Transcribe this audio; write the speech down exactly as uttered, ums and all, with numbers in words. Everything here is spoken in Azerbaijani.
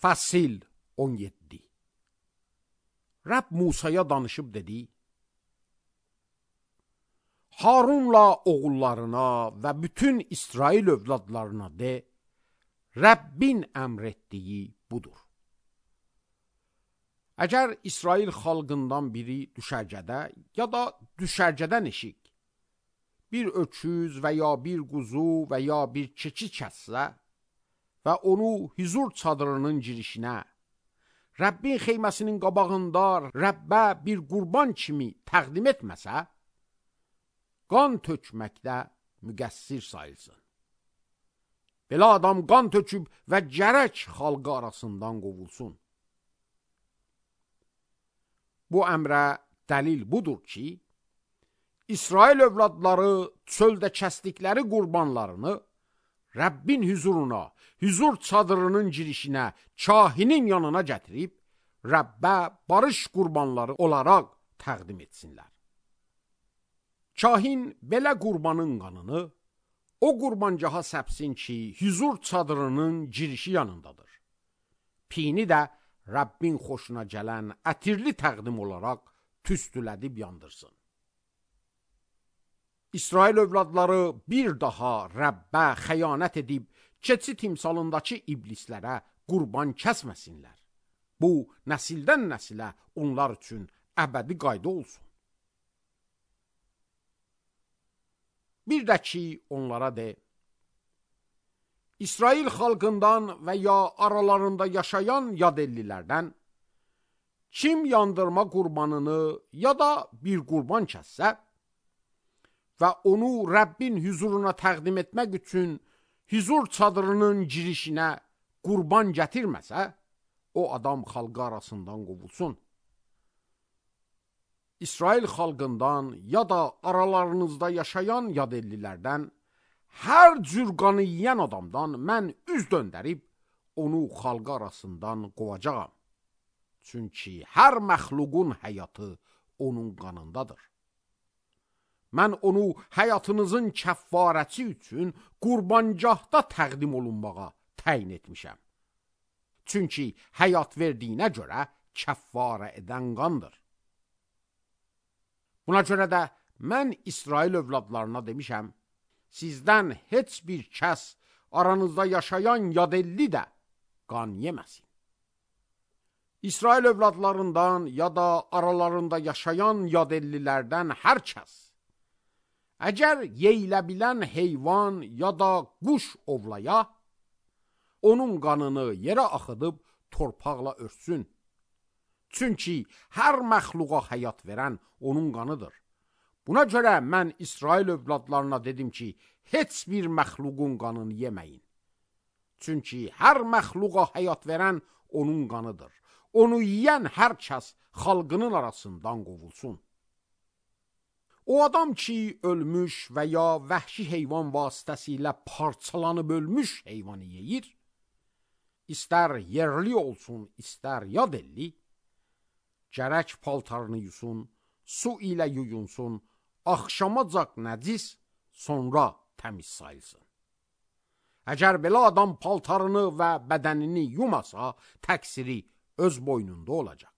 Fəsil on yeddi. Rəbb Musaya danışıb dedi: Harunla oğullarına və bütün İsrail övladlarına de, Rəbbin əmr etdiyi budur. Əgər İsrail xalqından biri düşərgədə ya da düşərgədən eşik, bir öküz və ya bir quzu və ya bir keçi kəssə və onu hüzur çadırının girişinə, Rəbbin xeyməsinin qabağında Rəbbə bir qurban kimi təqdim etməsə, qan tökməkdə müqəssir sayılsın. Belə adam qan töküb və gərək xalqı arasından qovulsun. Bu əmrə dəlil budur ki, İsrail övladları çöldə kəsdikləri qurbanlarını Rəbbin hüzuruna, hüzur çadırının girişinə, kahinin yanına gətirib, Rəbbə barış qurbanları olaraq təqdim etsinlər. Kahin belə qurbanın qanını o qurbancaha səpsin ki, hüzur çadırının girişi yanındadır. Pini də Rəbbin xoşuna gələn ətirli təqdim olaraq tüstülədib yandırsın. İsrail övladları bir daha Rəbbə xəyanət edib, keçi timsalındakı iblislərə qurban kəsməsinlər. Bu, nəsildən nəsilə onlar üçün əbədi qayda olsun. Bir də ki, onlara de, İsrail xalqından və ya aralarında yaşayan yadellilərdən kim yandırma qurbanını ya da bir qurban kəssə və onu Rəbbin hüzuruna təqdim etmək üçün hüzur çadırının girişinə qurban gətirməsə, o adam xalqı arasından qovulsun. İsrail xalqından ya da aralarınızda yaşayan yadellilərdən hər cür qanı yiyən adamdan mən üz döndərib onu xalqı arasından qovacağam. Çünki hər məxluqun həyatı onun qanındadır. Mən onu həyatınızın kəffarəti üçün qurbancahda təqdim olunmağa təyin etmişəm. Çünki həyat verdiyinə görə kəffarə edən qandır. Buna görə də mən İsrail övladlarına demişəm, sizdən heç bir kəs aranızda yaşayan yadelli də qan yeməsin. İsrail övladlarından ya da aralarında yaşayan yadellilərdən hər kəs əgər yeyilə bilən heyvan ya da quş ovlaya, onun qanını yerə axıdıb torpaqla örtsün. Çünki hər məxluqa həyat verən onun qanıdır. Buna görə mən İsrail övladlarına dedim ki, heç bir məxluqun qanını yeməyin. Çünki hər məxluqa həyat verən onun qanıdır. Onu yiyən hər kəs xalqının arasından qovulsun. O adam ki, ölmüş və ya vəhşi heyvan vasitəsilə parçalanıb ölmüş heyvanı yeyir, istər yerli olsun, istər yadelli, gərək paltarını yusun, su ilə yuyunsun, axşamacaq nəcis, sonra təmiz sayılsın. Əgər belə adam paltarını və bədənini yumasa, təqsiri öz boynunda olacaq.